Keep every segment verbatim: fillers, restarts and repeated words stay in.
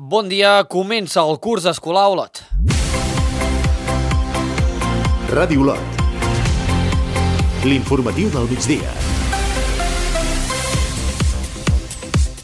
Bon dia, comença el curs escolar a Olot. Ràdio Olot. L'informatiu del migdia.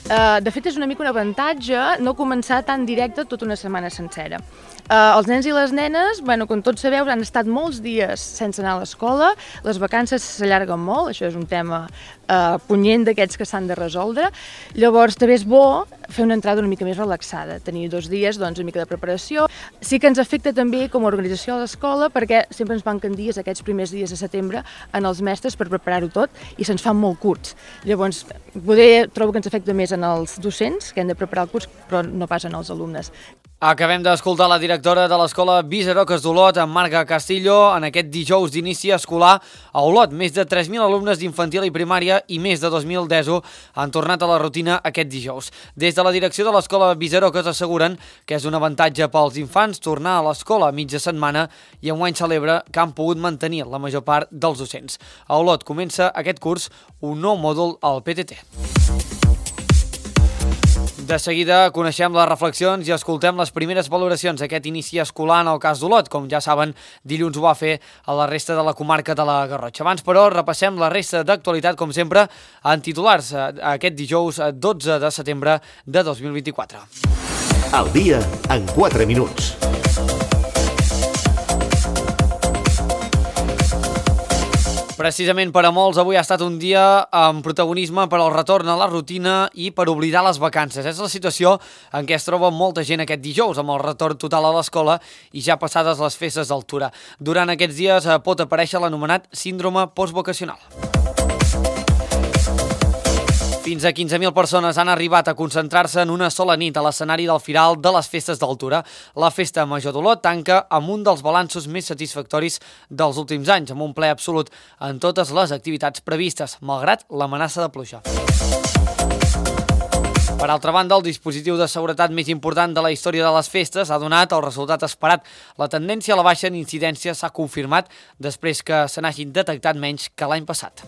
Uh, de fet, és una mica un avantatge no començar tan directe tota una setmana sencera. Uh, els nens i les nenes, bueno, com tots sabeu, han estat molts dies sense anar a l'escola, les vacances s'allarguen molt, això és un tema uh, punyent d'aquests que s'han de resoldre. Llavors, també és bo fer una entrada una mica més relaxada, tenir dos dies, doncs, una mica de preparació. Sí que ens afecta també com a organització de l'escola, perquè sempre ens manquen dies, aquests primers dies de setembre, en els mestres per preparar-ho tot, i se'ns fan molt curts. Llavors, poder trobo que ens afecta més en els docents, que han de preparar el curs, però no pas en els alumnes. Acabem d'escoltar la directora de l'escola Visaroques d'Olot, en Marga Castillo, en aquest dijous d'inici escolar a Olot. Més de tres mil alumnes d'infantil i primària i més de dos mil d'ESO han tornat a la rutina aquest dijous. Des de la direcció de l'escola Visaroques asseguren que és un avantatge pels infants tornar a l'escola a mitja setmana i enguany celebra que han pogut mantenir la major part dels docents. A Olot comença aquest curs un nou mòdul al P T T. De seguida coneixem les reflexions i escoltem les primeres valoracions d'aquest inici escolar en el cas d'Olot. Com ja saben, dilluns ho va fer a la resta de la comarca de la Garrotxa. Abans, però, repassem la resta d'actualitat, com sempre, en titulars aquest dijous dotze de setembre de dos mil vint-i-quatre. Al dia en quatre minuts. Precisament per a molts, avui ha estat un dia amb protagonisme per al retorn a la rutina i per oblidar les vacances. És la situació en què es troba molta gent aquest dijous, amb el retorn total a l'escola i ja passades les festes d'altura. Durant aquests dies pot aparèixer l'anomenat síndrome postvacacional. Fins a quinze mil persones han arribat a concentrar-se en una sola nit a l'escenari del Firal de les Festes d'Altura. La Festa Major d'Olot tanca amb un dels balanços més satisfactoris dels últims anys, amb un ple absolut en totes les activitats previstes, malgrat l'amenaça de pluja. Per altra banda, el dispositiu de seguretat més important de la història de les festes ha donat el resultat esperat. La tendència a la baixa en incidència s'ha confirmat després que se n'hagin detectat menys que l'any passat.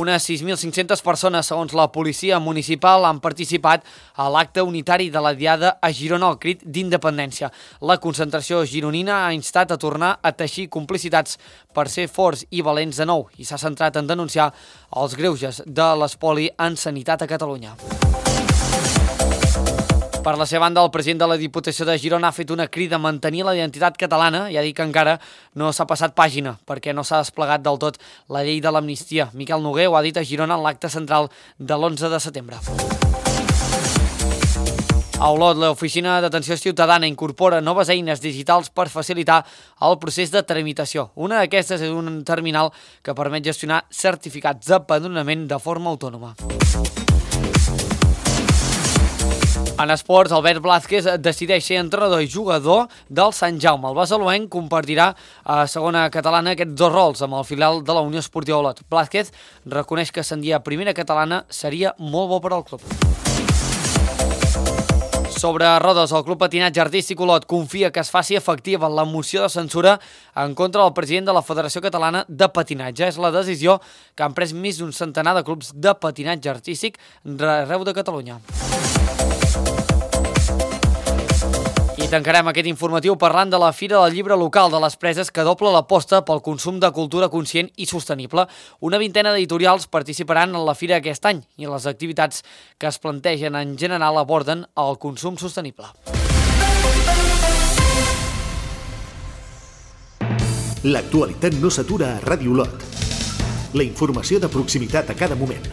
Unes sis mil cinc-centes persones, segons la policia municipal, han participat a l'acte unitari de la Diada a Girona al crit d'independència. La concentració gironina ha instat a tornar a teixir complicitats per ser forts i valents de nou i s'ha centrat en denunciar els greuges de l'espoli en sanitat a Catalunya. Per la seva banda, el president de la Diputació de Girona ha fet una crida a mantenir la identitat catalana i ha dit que encara no s'ha passat pàgina perquè no s'ha desplegat del tot la llei de l'amnistia. Miquel Noguer ho ha dit a Girona en l'acte central de l'onze de setembre. A Olot, l'Oficina d'Atenció Ciutadana incorpora noves eines digitals per facilitar el procés de tramitació. Una d'aquestes és un terminal que permet gestionar certificats d'empadronament de forma autònoma. En esports, Albert Blázquez decideix ser entrenador i jugador del Sant Jaume. El basaloenc compartirà a segona catalana aquests dos rols amb el filial de la Unió Esportiva Olot. Blázquez reconeix que ascendir a primera catalana seria molt bo per al club. Sobre rodes, el Club Patinatge Artístic Olot confia que es faci efectiva la moció de censura en contra del president de la Federació Catalana de Patinatge. És la decisió que han pres més d'un centenar de clubs de patinatge artístic arreu de Catalunya. I tancarem aquest informatiu parlant de la Fira del Llibre Local de les Preses, que dobla l'aposta pel consum de cultura conscient i sostenible. Una vintena d'editorials participaran en la fira aquest any i les activitats que es plantegen en general aborden el consum sostenible. L'actualitat no s'atura a Ràdio Olot. La informació de proximitat a cada moment.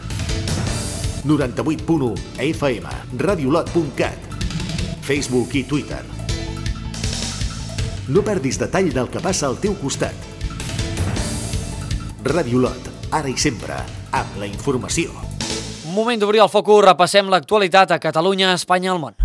noranta-vuit punt u F M, radiolot punt cat, Facebook i Twitter. No perdis detall del que passa al teu costat. Ràdio Olot, ara i sempre, amb la informació. Moment d'obrir el focus, repassem l'actualitat a Catalunya, Espanya i el món.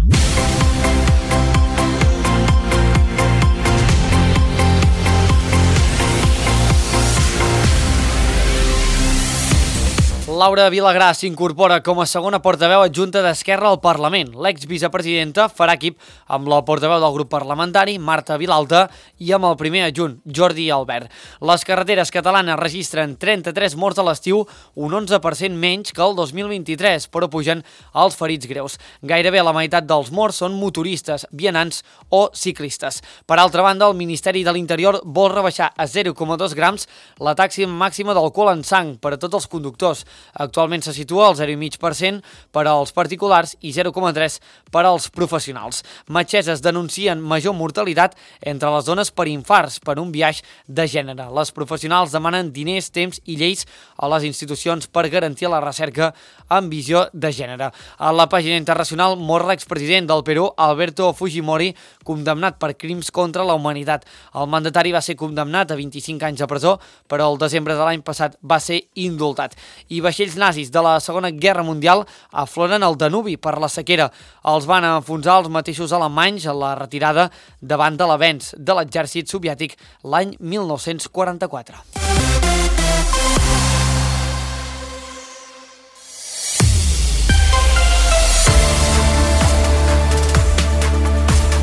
Laura Vilagrà s'incorpora com a segona portaveu adjunta d'Esquerra al Parlament. L'exvicepresidenta farà equip amb la portaveu del grup parlamentari, Marta Vilalta, i amb el primer adjunt, Jordi Albert. Les carreteres catalanes registren trenta-tres morts a l'estiu, un onze per cent menys que el dos mil vint-i-tres, però pugen els ferits greus. Gairebé la meitat dels morts són motoristes, vianants o ciclistes. Per altra banda, el Ministeri de l'Interior vol rebaixar a zero coma dos grams la taxa màxima d'alcohol en sang per a tots els conductors. Actualment se situa al zero coma cinc per cent per als particulars i zero coma tres per cent per als professionals. Metgesses denuncien major mortalitat entre les dones per infarts per un biaix de gènere. Les professionals demanen diners, temps i lleis a les institucions per garantir la recerca amb visió de gènere. A la pàgina internacional mor l'expresident del Perú, Alberto Fujimori, condemnat per crims contra la humanitat. El mandatari va ser condemnat a vint-i-cinc anys de presó, però el desembre de l'any passat va ser indultat. I vaixells nazis de la Segona Guerra Mundial afloren al Danubi per la sequera. Els van enfonsar els mateixos alemanys a la retirada davant de l'avenç de l'exèrcit soviètic l'any mil nou-cents quaranta-quatre.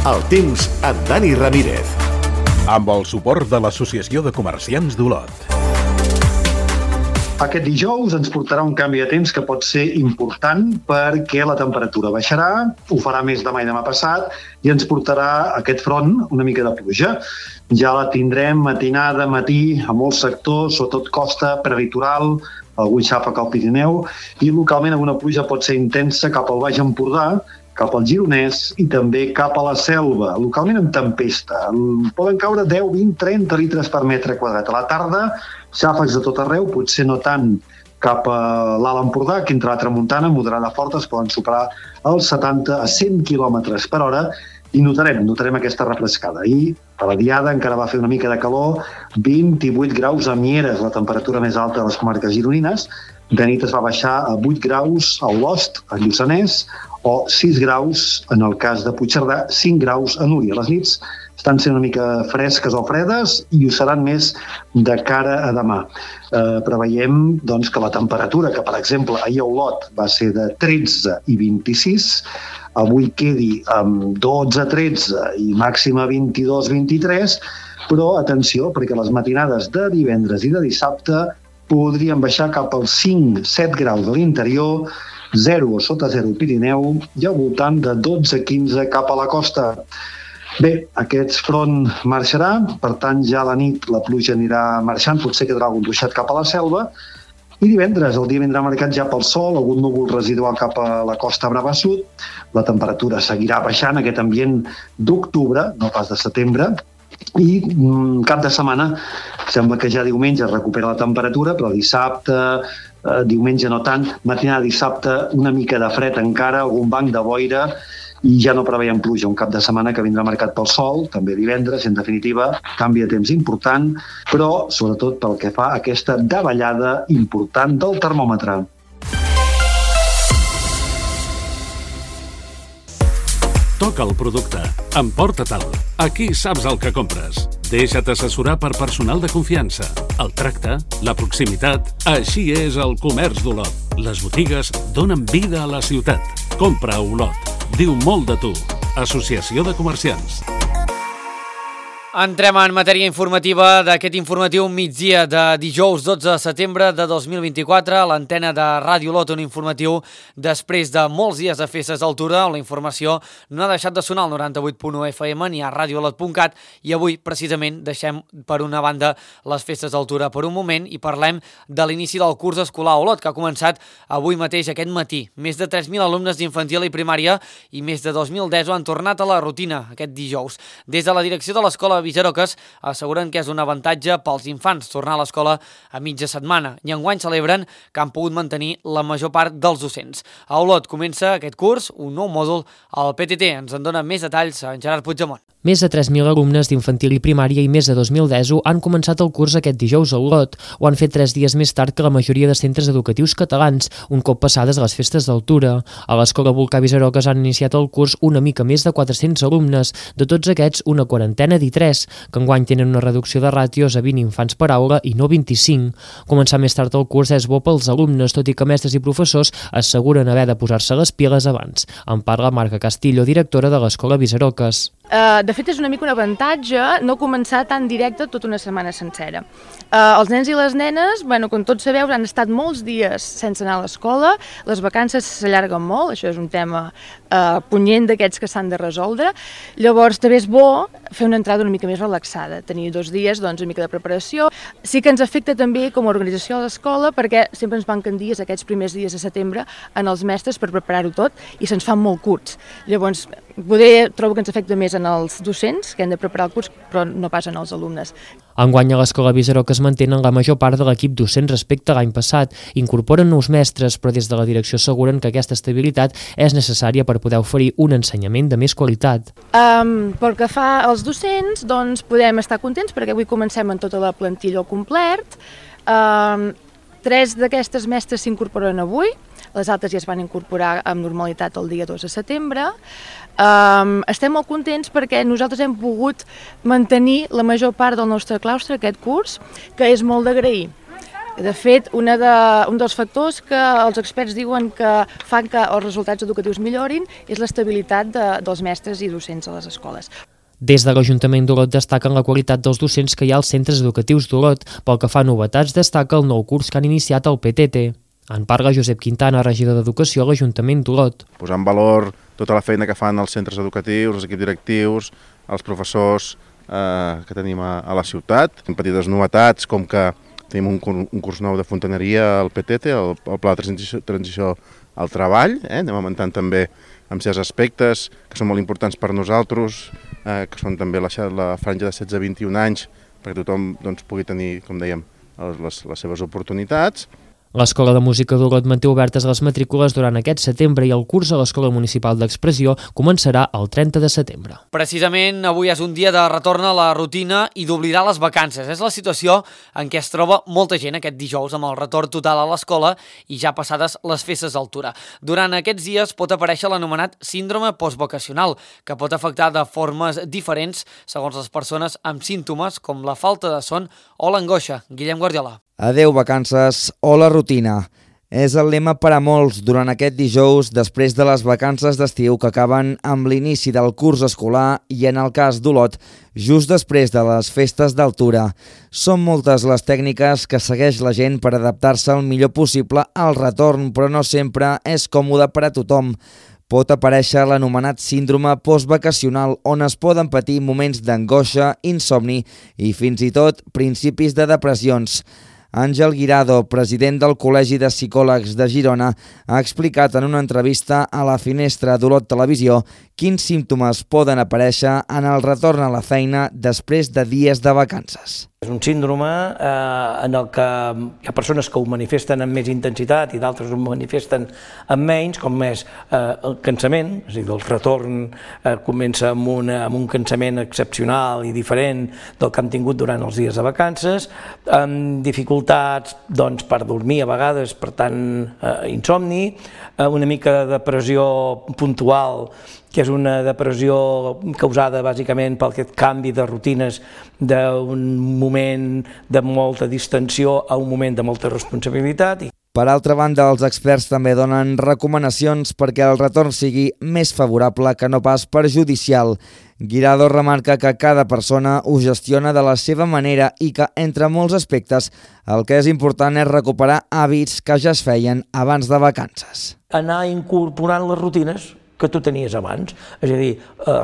El temps amb Dani Ramírez. Amb el suport de l'Associació de Comerciants d'Olot. Aquest dijous ens portarà un canvi de temps que pot ser important perquè la temperatura baixarà, ho farà més demà i demà passat i ens portarà aquest front una mica de pluja. Ja la tindrem matinada, matí, a molts sectors, sobretot costa, prelitoral, algun xàfec al Pirineu i localment alguna pluja pot ser intensa cap al Baix Empordà, cap al Gironès i també cap a la Selva, localment amb tempesta. Poden caure deu, vint, trenta litres per metre quadrat. A la tarda, xàfecs de tot arreu, potser no tant cap a l'Alt Empordà, que entre la tramuntana, moderada forta, es poden superar els setanta a cent quilòmetres per hora i notarem, notarem aquesta refrescada. I a la diada encara va fer una mica de calor, vint-i-vuit graus a Mieres, la temperatura més alta de les comarques gironines. De nit es va baixar a vuit graus a Olost, a Lluçanès, o sis graus en el cas de Puigcerdà, cinc graus a Núria. Les nits estan sent una mica fresques o fredes i ho seran més de cara a demà. Eh, preveiem doncs, que la temperatura, que per exemple ahir a Olot va ser de tretze i vint-i-sis, avui quedi amb dotze, tretze i màxima vint-i-dos, vint-i-tres, però atenció, perquè les matinades de divendres i de dissabte podrien baixar cap als cinc, set graus de l'interior, zero o sota zero al Pirineu i al voltant de dotze a quinze cap a la costa. Bé, aquest front marxarà, per tant ja a la nit la pluja anirà marxant, potser quedarà algun ruixat cap a la selva, i divendres el dia vindrà marcat ja pel sol, algun núvol residual cap a la costa brava sud, la temperatura seguirà baixant, aquest ambient d'octubre, no pas de setembre, i mm, cap de setmana sembla que ja diumenge es recupera la temperatura, però dissabte, eh, diumenge no tant, matinada dissabte una mica de fred encara, algun banc de boira i ja no preveiem pluja, un cap de setmana que vindrà marcat pel sol, també divendres, en definitiva, canvi de temps important, però sobretot pel que fa a aquesta davallada important del termòmetre. Toca el producte, emporta-te'l. Aquí saps el que compres. Deixa't assessorar per personal de confiança. El tracte, la proximitat, així és el comerç d'Olot. Les botigues donen vida a la ciutat. Compra a Olot. Diu molt de tu. Associació de Comerciants. Entrem en matèria informativa d'aquest informatiu migdia de dijous dotze de setembre de dos mil vint-i-quatre a l'antena de Ràdio Olot, un informatiu després de molts dies de festes d'altura on la informació no ha deixat de sonar al noranta-vuit punt u F M ni a radio olot punt cat i avui precisament deixem per una banda les festes d'altura per un moment i parlem de l'inici del curs escolar a Olot que ha començat avui mateix aquest matí. Més de tres mil alumnes d'infantil i primària i més de dos mil deu han tornat a la rutina aquest dijous. Des de la direcció de l'escola Visaroques asseguren que és un avantatge pels infants tornar a l'escola a mitja setmana i enguany celebren que han pogut mantenir la major part dels docents. A Olot comença aquest curs un nou mòdul al P T T. Ens en dona més detalls en Gerard Puigdemont. Més de tres mil alumnes d'infantil i primària i més de dos mil d'ESO han començat el curs aquest dijous a Olot. Ho han fet tres dies més tard que la majoria de centres educatius catalans, un cop passades les festes d'altura. A l'Escola Volcà Visaroques han iniciat el curs una mica més de quatre-cents alumnes, de tots aquests una quarantena d'I tres, que enguany tenen una reducció de ràtios a vint infants per aula i no vint-i-cinc. Començar més tard el curs és bo pels alumnes, tot i que mestres i professors asseguren haver de posar-se les piles abans. En parla Marga Castillo, directora de l'Escola Visaroques. Uh, de fet, és una mica un avantatge no començar tan directe tota una setmana sencera. Uh, els nens i les nenes, bueno, com tots sabeu, han estat molts dies sense anar a l'escola, les vacances s'allarguen molt, això és un tema uh, punyent d'aquests que s'han de resoldre. Llavors, també és bo fer una entrada una mica més relaxada, tenir dos dies, doncs, una mica de preparació. Sí que ens afecta també com a organització a l'escola, perquè sempre ens manquen dies, aquests primers dies de setembre, en els mestres per preparar-ho tot, i se'ns fan molt curts. Llavors, poder trobo que ens afecta més en els docents, que han de preparar el curs, però no pas en els alumnes. Enguany a l'Escola Visaroques mantenen la major part de l'equip docent respecte a l'any passat. Incorporen nous mestres, però des de la direcció asseguren que aquesta estabilitat és necessària per poder oferir un ensenyament de més qualitat. Um, pel que fa als docents, doncs podem estar contents perquè avui comencem amb tota la plantilla al complet. Um, tres d'aquestes mestres s'incorporen avui, les altres ja es van incorporar amb normalitat el dia dos de setembre. Um, estem molt contents perquè nosaltres hem pogut mantenir la major part del nostre claustre aquest curs, que és molt d'agrair. De fet, una de, un dels factors que els experts diuen que fan que els resultats educatius millorin és l'estabilitat de, dels mestres i docents a les escoles. Des de l'Ajuntament d'Olot destaquen la qualitat dels docents que hi ha als centres educatius d'Olot. Pel que fa a novetats, destaca el nou curs que han iniciat el P T T. En parla Josep Quintana, regidor d'Educació a l'Ajuntament d'Olot. Posar en valor tota la feina que fan els centres educatius, els equips directius, els professors eh, que tenim a, a la ciutat. Petites novetats com que tenim un, un curs nou de fontaneria al P T T, el, el Pla de Transició, transició al Treball. Eh? Anem augmentant també amb certs aspectes que són molt importants per nosaltres, eh, que són també la, la franja de setze a vint-i-un anys, perquè tothom doncs, pugui tenir, com dèiem, les, les seves oportunitats. L'Escola de Música d'Olot manté obertes les matrícules durant aquest setembre i el curs a l'Escola Municipal d'Expressió començarà el trenta de setembre. Precisament avui és un dia de retorn a la rutina i d'oblidar les vacances. És la situació en què es troba molta gent aquest dijous amb el retorn total a l'escola i ja passades les festes d'altura. Durant aquests dies pot aparèixer l'anomenat síndrome postvacacional, que pot afectar de formes diferents segons les persones amb símptomes com la falta de son o l'angoixa. Guillem Guardiola. Adeu vacances o la rutina. És el lema per a molts durant aquest dijous després de les vacances d'estiu que acaben amb l'inici del curs escolar i, en el cas d'Olot, just després de les festes d'altura. Són moltes les tècniques que segueix la gent per adaptar-se el millor possible al retorn, però no sempre és còmode per a tothom. Pot aparèixer l'anomenat síndrome postvacacional, on es poden patir moments d'angoixa, insomni i fins i tot principis de depressions. Àngel Guirado, president del Col·legi de Psicòlegs de Girona, ha explicat en una entrevista a la Finestra d'Olot Televisió quins símptomes poden aparèixer en el retorn a la feina després de dies de vacances. És un síndrome eh, en el que hi ha persones que ho manifesten amb més intensitat i d'altres ho manifesten amb menys, com és eh, el cansament, és a dir, el retorn eh, comença amb, una, amb un cansament excepcional i diferent del que hem tingut durant els dies de vacances, amb dificultats doncs, per dormir a vegades, per tant, eh, insomni, eh, una mica de depressió puntual, que és una depressió causada bàsicament per aquest canvi de rutines d'un moment de molta distensió a un moment de molta responsabilitat. Per altra banda, els experts també donen recomanacions perquè el retorn sigui més favorable que no pas perjudicial. Guirado remarca que cada persona ho gestiona de la seva manera i que, entre molts aspectes, el que és important és recuperar hàbits que ja es feien abans de vacances. Anar incorporant les rutines que tu tenies abans, és a dir,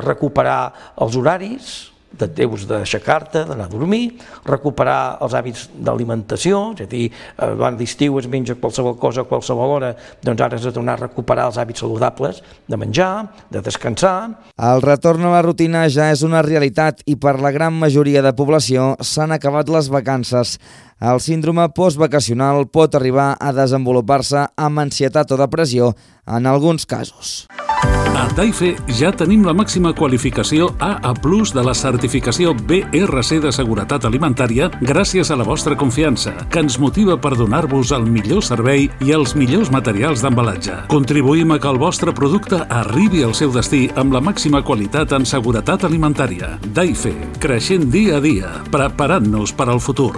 recuperar els horaris de teus d'aixecar-te, d'anar a dormir, recuperar els hàbits d'alimentació, és a dir, abans d'estiu es menja qualsevol cosa a qualsevol hora, doncs ara has de tornar a recuperar els hàbits saludables de menjar, de descansar. El retorn a la rutina ja és una realitat i per la gran majoria de població s'han acabat les vacances. El síndrome postvacacional pot arribar a desenvolupar-se amb ansietat o depressió en alguns casos. A Daife ja tenim la màxima qualificació A A plus de la certificació B R C de seguretat alimentària gràcies a la vostra confiança, que ens motiva per donar-vos el millor servei i els millors materials d'embalatge. Contribuïm a que el vostre producte arribi al seu destí amb la màxima qualitat en seguretat alimentària. Daife, creixent dia a dia, preparant-nos per al futur.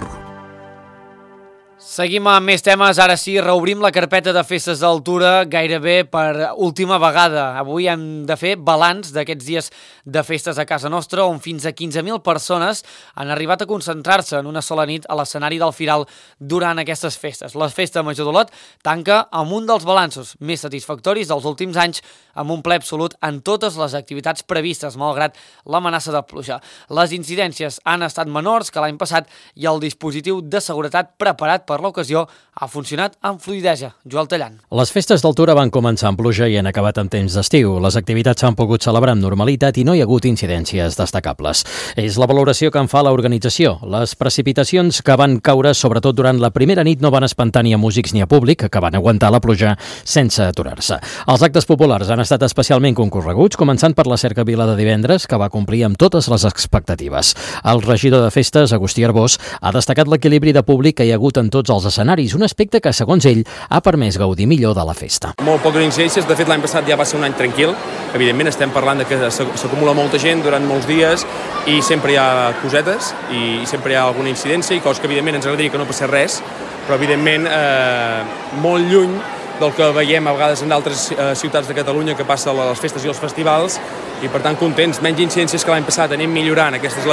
Seguim amb més temes, ara sí, reobrim la carpeta de festes d'altura gairebé per última vegada. Avui hem de fer balanç d'aquests dies de festes a casa nostra, on fins a quinze mil persones han arribat a concentrar-se en una sola nit a l'escenari del Firal durant aquestes festes. La Festa Major d'Olot tanca amb un dels balanços més satisfactoris dels últims anys, amb un ple absolut en totes les activitats previstes, malgrat l'amenaça de pluja. Les incidències han estat menors que l'any passat i el dispositiu de seguretat preparat per l'ocasió ha funcionat amb fluïdesa. Joel Tallant. Les festes d'altura van començar amb pluja i han acabat en temps d'estiu. Les activitats s'han pogut celebrar amb normalitat i no hi ha hagut incidències destacables. És la valoració que en fa l'organització. Les precipitacions que van caure, sobretot durant la primera nit, no van espantar ni a músics ni a públic, que van aguantar la pluja sense aturar-se. Els actes populars han estat especialment concorreguts, començant per la cercavila de divendres, que va complir amb totes les expectatives. El regidor de festes, Agustí Arbós, ha destacat l'equilibri de públic que hi ha hagut en tots els escenaris, un aspecte que, segons ell, ha permès gaudir millor de la festa. Molt poques incidències, de fet l'any passat ja va ser un any tranquil, evidentment estem parlant de que s'acumula molta gent durant molts dies i sempre hi ha cosetes i sempre hi ha alguna incidència i coses que evidentment ens agradaria que no passés res, però evidentment eh, molt lluny del que veiem a vegades en altres eh, ciutats de Catalunya que passa a les festes i els festivals i per tant contents, menys incidències que l'any passat, anem millorant, aquest és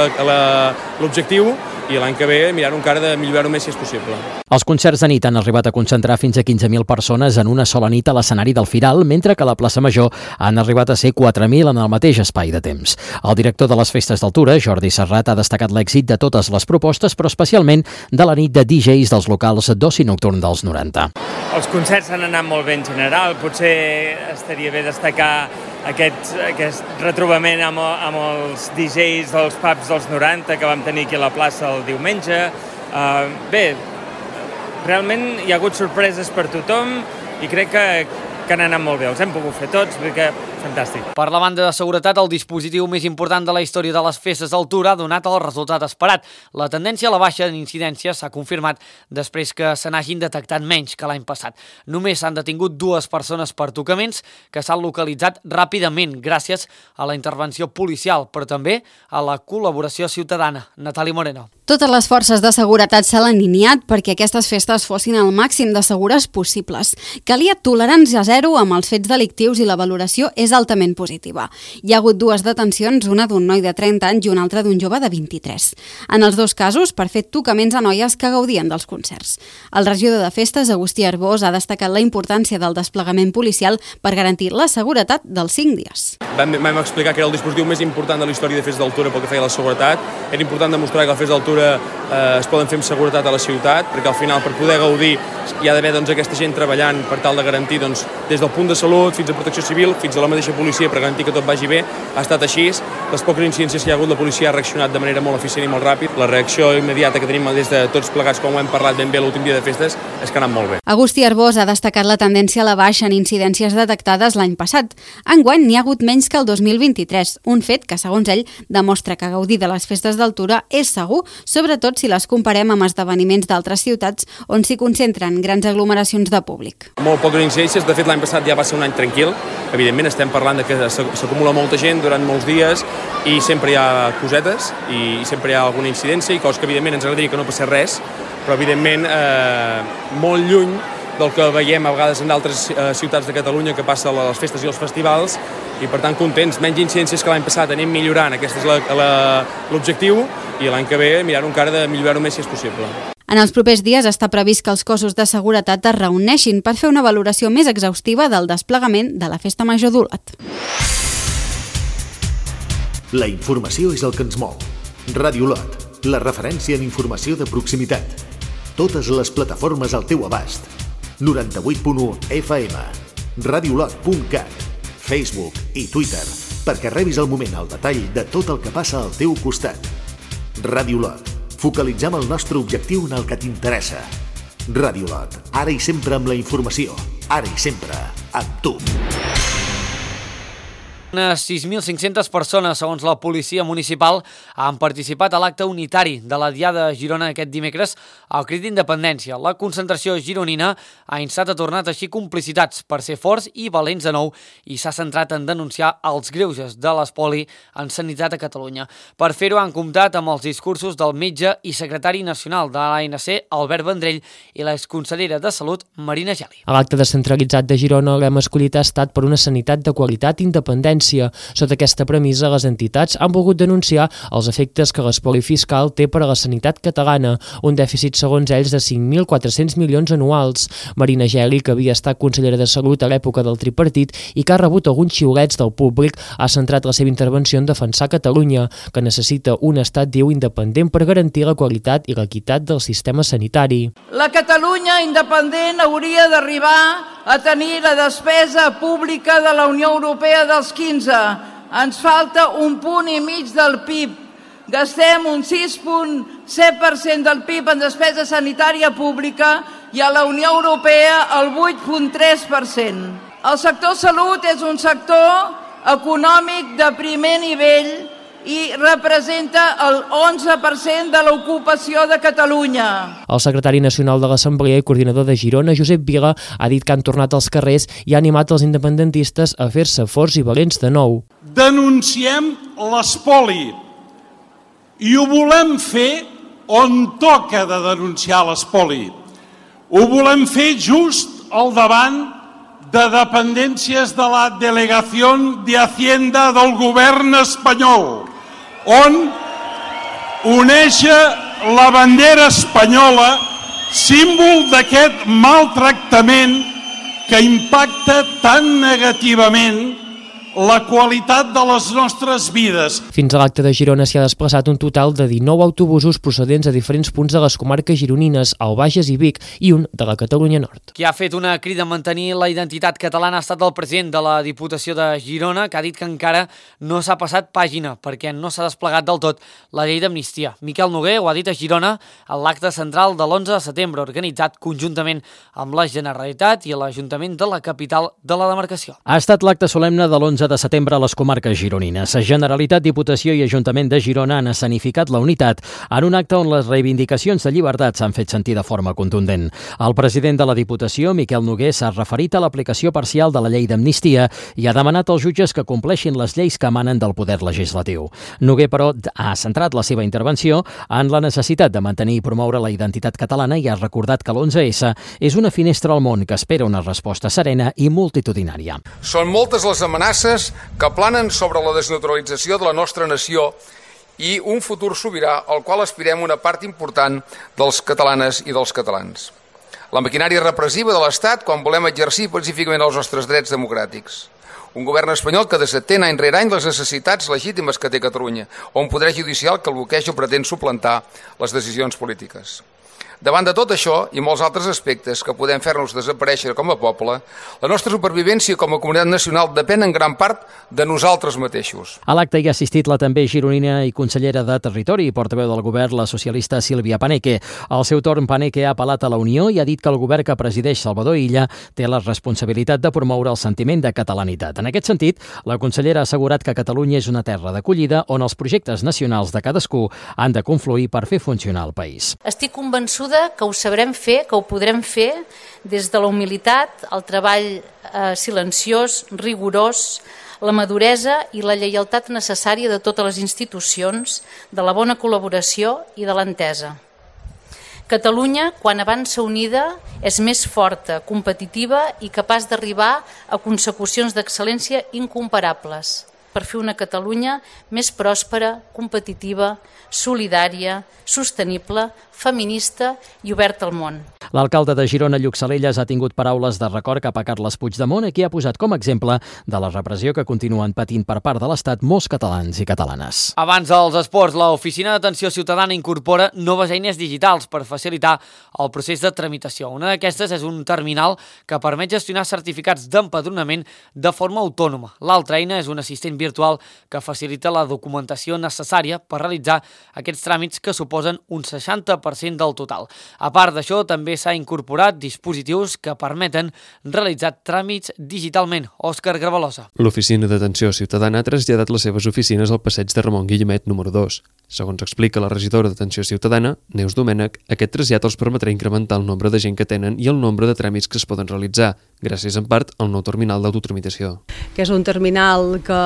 l'objectiu i l'any que ve mirar encara de millorar-ho més si és possible. Els concerts de nit han arribat a concentrar fins a quinze mil persones en una sola nit a l'escenari del Firal, mentre que a la plaça Major han arribat a ser quatre mil en el mateix espai de temps. El director de les festes d'altura, Jordi Serrat, ha destacat l'èxit de totes les propostes, però especialment de la nit de D Js dels locals d'oci nocturn dels noranta. Els concerts han anat molt bé en general, potser estaria bé destacar aquest, aquest retrobament amb, amb els D Js dels pubs dels noranta que vam tenir aquí a la plaça el diumenge. Uh, bé, realment hi ha hagut sorpreses per tothom i crec que, que han anat molt bé. Els hem pogut fer tots, perquè fantàstic. Per la banda de seguretat, el dispositiu més important de la història de les festes d'altura ha donat el resultat esperat. La tendència a la baixa en incidències s'ha confirmat després que se n'hagin detectat menys que l'any passat. Només s'han detingut dues persones per tocaments que s'han localitzat ràpidament gràcies a la intervenció policial, però també a la col·laboració ciutadana. Natàlia Moreno. Totes les forces de seguretat s'han alineat perquè aquestes festes fossin el màxim de segures possibles. Calia tolerància zero amb els fets delictius i la valoració és altament positiva. Hi ha hagut dues detencions, una d'un noi de trenta anys i una altra d'un jove de vint-i-tres. En els dos casos, per fer tocaments a noies que gaudien dels concerts. El regidor de festes, Agustí Arbós, ha destacat la importància del desplegament policial per garantir la seguretat dels cinc dies. Vam, vam explicar que era el dispositiu més important de la història de festes d'altura pel que feia a la seguretat. Era important demostrar que les festes d'altura eh, es poden fer amb seguretat a la ciutat, perquè al final per poder gaudir hi ha d'haver doncs, aquesta gent treballant per tal de garantir doncs, des del punt de salut fins a protecció civil, fins a la mateixa policia per garantir que tot vagi bé. Ha estat així. Les poques incidències que hi ha hagut, la policia ha reaccionat de manera molt eficient i molt ràpid. La reacció immediata que tenim des de tots plegats, com ho hem parlat ben bé l'últim dia de festes, és que ha anat molt bé. Agustí Arbós ha destacat la tendència a la baixa en incidències detectades l'any passat. Enguany n'hi ha hagut menys que el dos mil vint-i-tres, un fet que, segons ell, demostra que gaudir de les festes d'altura és segur, sobretot si les comparem amb esdeveniments d'altres ciutats on s'hi concentren grans aglomeracions de públic. Molt poques incidències, de fet l'any passat ja va ser un any tranquil, evidentment estem parlant de que s'acumula molta gent durant molts dies i sempre hi ha cosetes i sempre hi ha alguna incidència i coses que evidentment ens agradaria que no passés res, però evidentment eh, molt lluny del que veiem a vegades en altres eh, ciutats de Catalunya que passa a les festes i els festivals i per tant contents, menys incidències que l'any passat, anem millorant, aquest és l'objectiu i l'any que ve mirar-ho encara de millorar-ho més si és possible. En els propers dies està previst que els cossos de seguretat es reuneixin per fer una valoració més exhaustiva del desplegament de la Festa Major d'Olot. La informació és el que ens mou. Ràdio Olot, la referència en informació de proximitat. Totes les plataformes al teu abast. noranta-vuit punt u F M, radiolot punt cat, Facebook i Twitter, perquè rebis al moment el detall de tot el que passa al teu costat. Ràdio Olot, focalitzem el nostre objectiu en el que t'interessa. Ràdio Olot, ara i sempre amb la informació, ara i sempre amb tu. Unes sis mil cinc-centes persones, segons la policia municipal, han participat a l'acte unitari de la Diada de Girona aquest dimecres al crit d'independència. La concentració gironina ha instat a tornar a teixir complicitats per ser forts i valents de nou i s'ha centrat en denunciar els greuges de l'espoli en sanitat a Catalunya. Per fer-ho han comptat amb els discursos del metge i secretari nacional de l'A N C, Albert Vendrell, i l'exconsellera de Salut, Marina Geli. A l'acte descentralitzat de Girona l'hem escollit ha estat per una sanitat de qualitat i independència. Sota aquesta premissa, les entitats han volgut denunciar els efectes que l'espoli fiscal té per a la sanitat catalana, un dèficit segons ells de cinc mil quatre-cents milions anuals. Marina Geli, que havia estat consellera de Salut a l'època del tripartit i que ha rebut alguns xiulets del públic, ha centrat la seva intervenció en defensar Catalunya, que necessita un estat diu independent per garantir la qualitat i l'equitat del sistema sanitari. La Catalunya independent hauria d'arribar a tenir la despesa pública de la Unió Europea dels quinze. Ens falta un punt i mig del P I B. Gastem un sis coma set per cent del P I B en despesa sanitària pública i a la Unió Europea el vuit coma tres per cent. El sector salut és un sector econòmic de primer nivell i representa el onze per cent de l'ocupació de Catalunya. El secretari nacional de l'Assemblea i coordinador de Girona, Josep Vila, ha dit que han tornat als carrers i ha animat els independentistes a fer-se forts i valents de nou. Denunciem l'espoli i ho volem fer on toca de denunciar l'espoli. Ho volem fer just al davant de dependències de la Delegació de Hacienda del govern espanyol, on oneja la bandera espanyola, símbol d'aquest maltractament que impacta tan negativament la qualitat de les nostres vides. Fins a l'acte de Girona s'hi ha desplaçat un total de dinou autobusos procedents de diferents punts de les comarques gironines, el Bages i Vic, i un de la Catalunya Nord. Qui ha fet una crida a mantenir la identitat catalana ha estat el president de la Diputació de Girona, que ha dit que encara no s'ha passat pàgina perquè no s'ha desplegat del tot la llei d'amnistia. Miquel Noguer ho ha dit a Girona en l'acte central de l'onze de setembre, organitzat conjuntament amb la Generalitat i l'Ajuntament de la capital de la demarcació. Ha estat l'acte solemne de l'onze de setembre a les comarques gironines. Generalitat, Diputació i Ajuntament de Girona han escenificat la unitat en un acte on les reivindicacions de llibertat s'han fet sentir de forma contundent. El president de la Diputació, Miquel Noguer, s'ha referit a l'aplicació parcial de la llei d'amnistia i ha demanat als jutges que compleixin les lleis que emanen del poder legislatiu. Noguer, però, ha centrat la seva intervenció en la necessitat de mantenir i promoure la identitat catalana i ha recordat que l'onze essa és una finestra al món que espera una resposta serena i multitudinària. Són moltes les amenaces que planen sobre la desnaturalització de la nostra nació i un futur sobirà al qual aspirem una part important dels catalanes i dels catalans. La maquinària repressiva de l'Estat quan volem exercir pacíficament els nostres drets democràtics. Un govern espanyol que desatén any rere any les necessitats legítimes que té Catalunya, o un poder judicial que el bloqueja o pretén suplantar les decisions polítiques. Davant de tot això i molts altres aspectes que podem fer-nos desaparèixer com a poble, la nostra supervivència com a comunitat nacional depèn en gran part de nosaltres mateixos. A l'acte hi ha assistit la també gironina i consellera de Territori i portaveu del govern, la socialista Sílvia Paneque. Al seu torn, Paneque ha apel·lat a la Unió i ha dit que el govern que presideix Salvador Illa té la responsabilitat de promoure el sentiment de catalanitat. En aquest sentit, la consellera ha assegurat que Catalunya és una terra d'acollida on els projectes nacionals de cadascú han de confluir per fer funcionar el país. Estic convençuda que ho sabrem fer, que ho podrem fer des de la humilitat, el treball eh, silenciós, rigorós, la maduresa i la lleialtat necessària de totes les institucions, de la bona col·laboració i de l'entesa. Catalunya, quan avança unida, és més forta, competitiva i capaç d'arribar a consecucions d'excel·lència incomparables per fer una Catalunya més pròspera, competitiva, solidària, sostenible, feminista i oberta al món. L'alcalde de Girona, Lluc Salellas, ha tingut paraules de record cap a Carles Puigdemont, a qui ha posat com a exemple de la repressió que continuen patint per part de l'Estat molts catalans i catalanes. Abans dels esports, l'Oficina d'Atenció Ciutadana incorpora noves eines digitals per facilitar el procés de tramitació. Una d'aquestes és un terminal que permet gestionar certificats d'empadronament de forma autònoma. L'altra eina és un assistent virtual que facilita la documentació necessària per realitzar aquests tràmits que suposen un seixanta per cent del total. A part d'això, també s'ha incorporat dispositius que permeten realitzar tràmits digitalment. Òscar Gravalosa. L'Oficina d'Atenció Ciutadana ha traslladat les seves oficines al passeig de Ramon Guillemet número dos. Segons explica la regidora d'Atenció Ciutadana, Neus Domènech, aquest trasllat els permetrà incrementar el nombre de gent que tenen i el nombre de tràmits que es poden realitzar, gràcies en part al nou terminal d'autotramitació. Que és un terminal que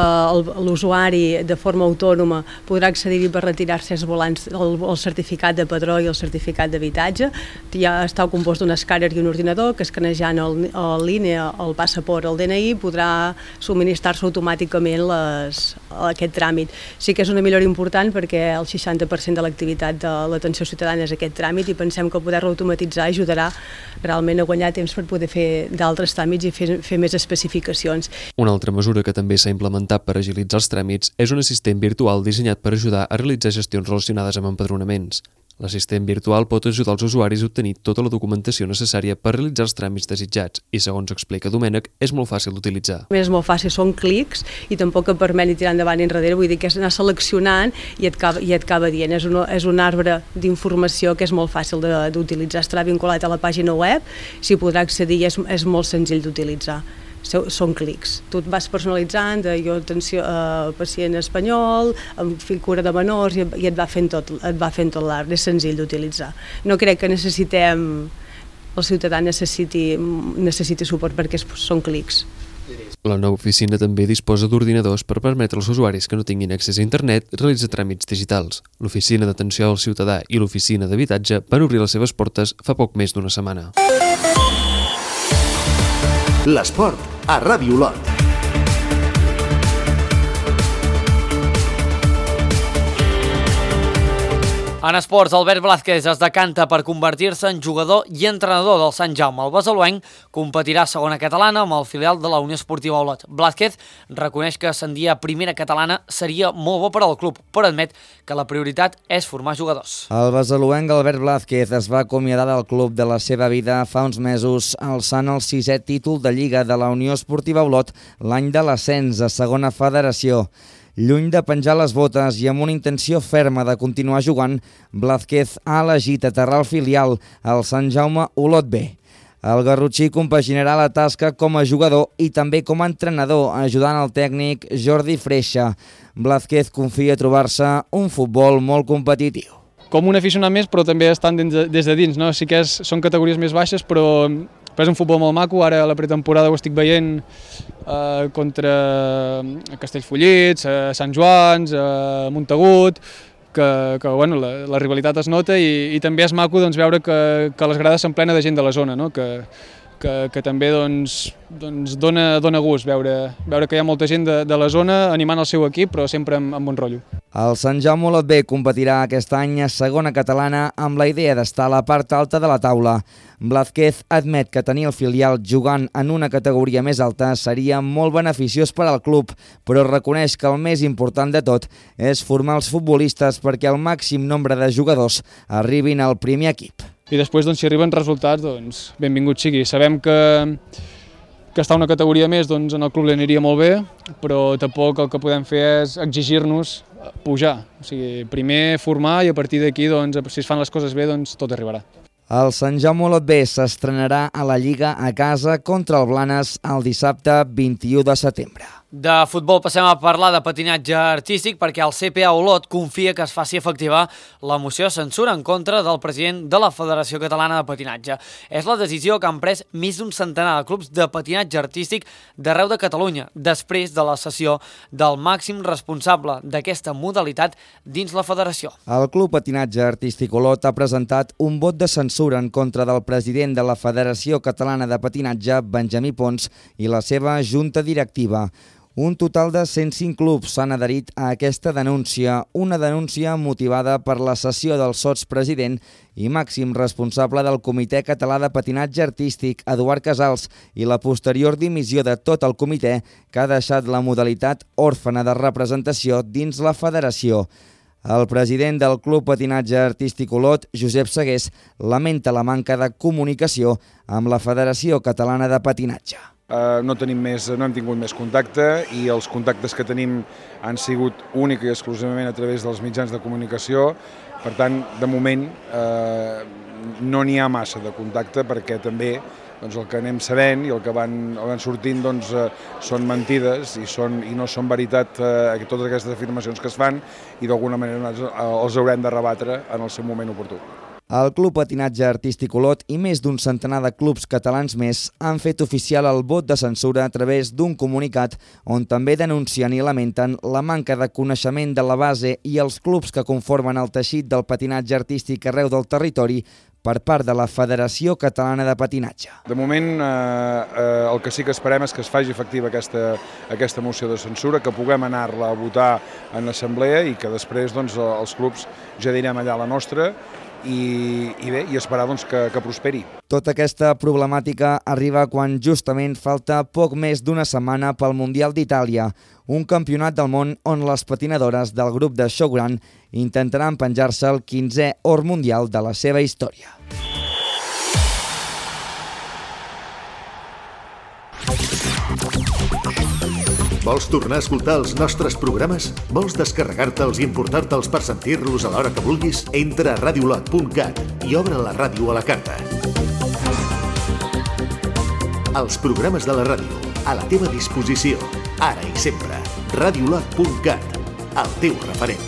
l'usuari de forma autònoma podrà accedir-hi per retirar-se els volants, el, el certificat de padró i el certificat d'habitatge. Ja està compost d'un escàner i un ordinador que escanejant el, el línia, el passaport, el D N I, podrà subministrar-se automàticament les, aquest tràmit. Sí que és una millora important perquè el seixanta per cent de l'activitat de l'atenció ciutadana és aquest tràmit i pensem que poder-lo automatitzar ajudarà realment a guanyar temps per poder fer d'altres tràmits i fer, fer més especificacions. Una altra mesura que també s'ha implementat per agilitzar els tràmits és un assistent virtual dissenyat per ajudar a realitzar gestions relacionades amb empadronaments. L'assistent virtual pot ajudar els usuaris a obtenir tota la documentació necessària per realitzar els tràmits desitjats i, segons explica Domènech, és molt fàcil d'utilitzar. És molt fàcil, són clics i tampoc et permet ni tirar endavant ni enrere, vull dir que és anar seleccionant i et acaba, i et acaba dient. És un, és un arbre d'informació que és molt fàcil d'utilitzar, estarà vinculat a la pàgina web, s'hi podrà accedir i és, és molt senzill d'utilitzar. Són clics. Tu et vas personalitzant, de jo atenció a pacient espanyol, amb cura de menors, i et va fent tot, et va fent tot l'arbre, és senzill d'utilitzar. No crec que necessitem, el ciutadà necessiti, necessiti suport perquè són clics. La nova oficina també disposa d'ordinadors per permetre als usuaris que no tinguin accés a internet realitzar tràmits digitals. L'Oficina d'Atenció al Ciutadà i l'Oficina d'Habitatge van obrir les seves portes fa poc més d'una setmana. L'esport a Ràdio Olot. En esports, Albert Blázquez es decanta per convertir-se en jugador i entrenador del Sant Jaume. El besalúenc competirà a segona catalana amb el filial de la Unió Esportiva Olot. Blázquez reconeix que ascendir a primera catalana seria molt bo per al club, però admet que la prioritat és formar jugadors. El besalúenc Albert Blázquez es va acomiadar del club de la seva vida fa uns mesos, alçant el sisè títol de Lliga de la Unió Esportiva Olot l'any de l'ascens a segona federació. Lluny de penjar les botes i amb una intenció ferma de continuar jugant, Blázquez ha elegit aterrar el filial al Sant Jaume Olot B. El garrotxí compaginarà la tasca com a jugador i també com a entrenador, ajudant el tècnic Jordi Freixa. Blázquez confia trobar-se un futbol molt competitiu. Com un aficionat més, però també estan des de dins, no? Sí que és, són categories més baixes, però Però és un futbol molt maco, ara a la pretemporada ho estic veient eh, contra Castellfollit, a Sant Joans, a Montagut, que, que bueno, la, la rivalitat es nota i, i també és maco doncs, veure que, que les grades són plenes de gent de la zona, no? que, que, que també doncs, doncs dona, dona gust veure, veure que hi ha molta gent de, de la zona animant el seu equip, però sempre amb, amb bon rotllo. El Sant Jaume Olot B competirà aquest any a segona catalana amb la idea d'estar a la part alta de la taula. Blázquez admet que tenir el filial jugant en una categoria més alta seria molt beneficiós per al club, però reconeix que el més important de tot és formar els futbolistes perquè el màxim nombre de jugadors arribin al primer equip. I després, doncs, si arriben resultats, doncs, benvingut sigui. Sabem que, que estar una categoria més doncs, en el club li aniria molt bé, però tampoc el que podem fer és exigir-nos pujar. O sigui, primer formar i a partir d'aquí, doncs, si es fan les coses bé, doncs, tot arribarà. El Sant Jaume Olot B s'estrenarà a la Lliga a casa contra el Blanes el dissabte vint-i-u de setembre. De futbol passem a parlar de patinatge artístic perquè el C P A Olot confia que es faci efectiva la moció de censura en contra del president de la Federació Catalana de Patinatge. És la decisió que han pres més d'un centenar de clubs de patinatge artístic d'arreu de Catalunya, després de la sessió del màxim responsable d'aquesta modalitat dins la federació. El Club Patinatge Artístic Olot ha presentat un vot de censura en contra del president de la Federació Catalana de Patinatge, Benjamí Pons, i la seva junta directiva. Un total de cent cinc clubs s'han adherit a aquesta denúncia, una denúncia motivada per la cessió del sotspresident i màxim responsable del Comitè Català de Patinatge Artístic, Eduard Casals, i la posterior dimissió de tot el comitè que ha deixat la modalitat òrfena de representació dins la federació. El president del Club Patinatge Artístic Olot, Josep Segués, lamenta la manca de comunicació amb la Federació Catalana de Patinatge. Uh, no tenim més, no hem tingut més contacte i els contactes que tenim han sigut únic i exclusivament a través dels mitjans de comunicació. Per tant, de moment, uh, no n'hi ha massa de contacte perquè també doncs, el que anem sabent i el que van, van sortint doncs, eh, són mentides i, són, i no són veritat eh, totes aquestes afirmacions que es fan i d'alguna manera els haurem de rebatre en el seu moment oportú. El Club Patinatge Artístic Olot i més d'un centenar de clubs catalans més han fet oficial el vot de censura a través d'un comunicat on també denuncien i lamenten la manca de coneixement de la base i els clubs que conformen el teixit del patinatge artístic arreu del territori per part de la Federació Catalana de Patinatge. De moment, eh, eh, el que sí que esperem és que es faci efectiva aquesta, aquesta moció de censura, que puguem anar-la a votar en assemblea i que després doncs, els clubs ja direm allà la nostra i, i bé, i esperar doncs, que, que prosperi. Tota aquesta problemàtica arriba quan justament falta poc més d'una setmana pel Mundial d'Itàlia, un campionat del món on les patinadores del grup de Showground intentaran penjar-se el quinzè or mundial de la seva història. Vols tornar a escoltar els nostres programes? Vols descarregar-te'ls i importar-te'ls per sentir-los a l'hora que vulguis? Entra a radiolot punt cat i obre la ràdio a la carta. Els programes de la ràdio, a la teva disposició, ara i sempre. radiolot punt cat, el teu referent.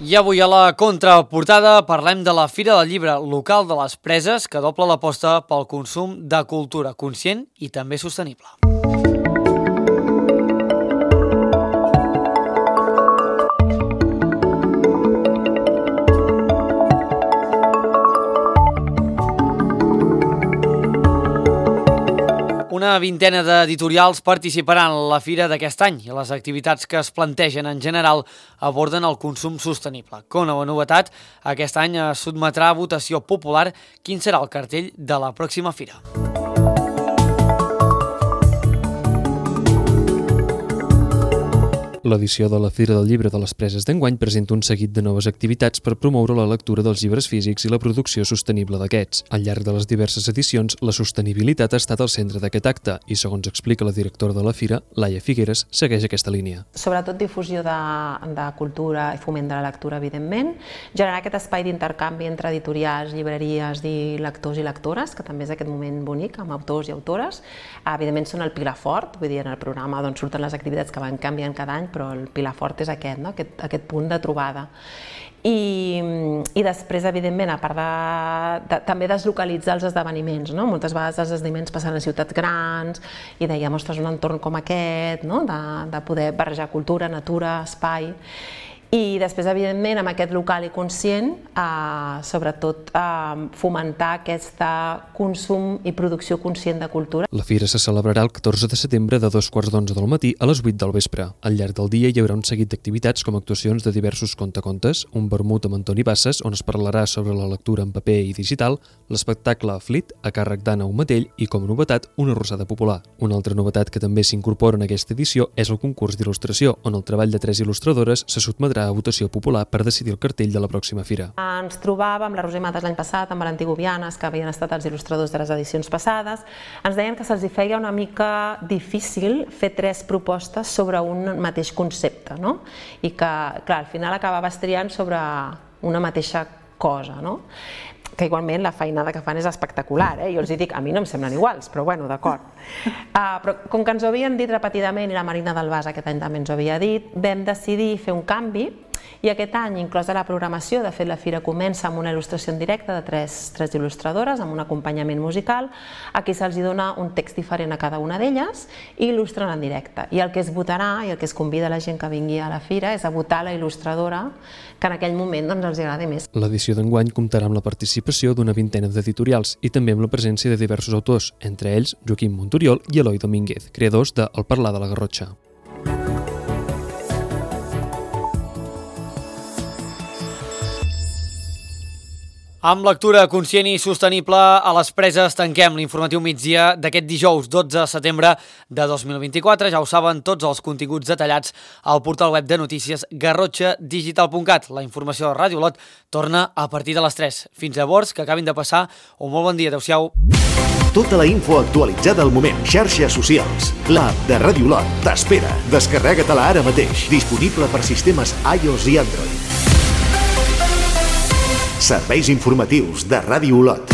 I avui a la contraportada parlem de la Fira del Llibre local de les Preses, que dobla l'aposta pel consum de cultura conscient i també sostenible. Una vintena d'editorials participaran a la fira d'aquest any i les activitats que es plantegen en general aborden el consum sostenible. Com a novetat, aquest any es sotmetrà a votació popular quin serà el cartell de la pròxima fira. L'edició de la Fira del Llibre de les Preses d'enguany presenta un seguit de noves activitats per promoure la lectura dels llibres físics i la producció sostenible d'aquests. Al llarg de les diverses edicions, la sostenibilitat ha estat al centre d'aquest acte i, segons explica la directora de la Fira, Laia Figueres, segueix aquesta línia. Sobretot difusió de, de cultura i foment de la lectura, evidentment, generar aquest espai d'intercanvi entre editorials, llibreries i lectors i lectores, que també és aquest moment bonic amb autors i autores. Evidentment són el pilar fort, vull dir, en el programa doncs, surten les activitats que van canviant cada any, però el pilar fort és aquest, no? aquest, aquest punt de trobada. I, i després, evidentment, a part de, de també deslocalitzar els esdeveniments, no? Moltes vegades els esdeveniments passen a ciutats grans i dèiem, ostres, un entorn com aquest, no? de, de poder barrejar cultura, natura, espai. I després, evidentment, amb aquest local i conscient, eh, sobretot eh, fomentar aquest consum i producció conscient de cultura. La fira se celebrarà el catorze de setembre de dos quarts d'onze del matí a les vuit del vespre. Al llarg del dia hi haurà un seguit d'activitats com actuacions de diversos contacontes, un vermut amb Antoni Bassas, on es parlarà sobre la lectura en paper i digital, l'espectacle Flit, a càrrec d'Anna Umatell, i com a novetat, una arrossada popular. Una altra novetat que també s'incorpora en aquesta edició és el concurs d'il·lustració, on el treball de tres il·lustradores se sotmetrà a votació popular per decidir el cartell de la pròxima fira. Ens trobàvem amb la Roser Matas l'any passat, amb Valentí Gubianes, que havien estat els il·lustradors de les edicions passades. Ens deien que se'ls feia una mica difícil fer tres propostes sobre un mateix concepte, no? I que, clar, al final acabaves triant sobre una mateixa cosa, no? Que igualment la feinada que fan és espectacular, eh? Jo els dic, a mi no em semblen iguals, però bueno, d'acord. Uh, però com que ens ho havien dit repetidament, i la Marina Dalbàs aquest any també ens ho havia dit, vam decidir fer un canvi, i aquest any, inclòs a la programació, de fet la fira comença amb una il·lustració en directe de tres, tres il·lustradores, amb un acompanyament musical. Aquí se'ls dona un text diferent a cada una d'elles i il·lustren en directe. I el que es votarà, i el que es convida la gent que vingui a la fira, és a votar la il·lustradora que en aquell moment doncs, els agradi més. L'edició d'enguany comptarà amb la participació d'una vintena d'editorials i també amb la presència de diversos autors, entre ells Joaquim Montoriol i Eloi Domínguez, creadors de El parlar de la Garrotxa. Amb lectura conscient i sostenible, a les Preses tanquem l'informatiu migdia d'aquest dijous dotze de setembre de dos mil vint-i-quatre. Ja ho saben, tots els continguts detallats al portal web de notícies garrotxa digital punt cat. La informació de Ràdio Olot torna a partir de les tres. Fins llavors, que acabin de passar un molt bon dia. Adéu-siau. Tota la info actualitzada al moment. Xarxes socials. L'app de Ràdio Olot t'espera. Descarrega-te-la ara mateix. Disponible per sistemes iOS i Android. Serveis informatius de Ràdio Olot.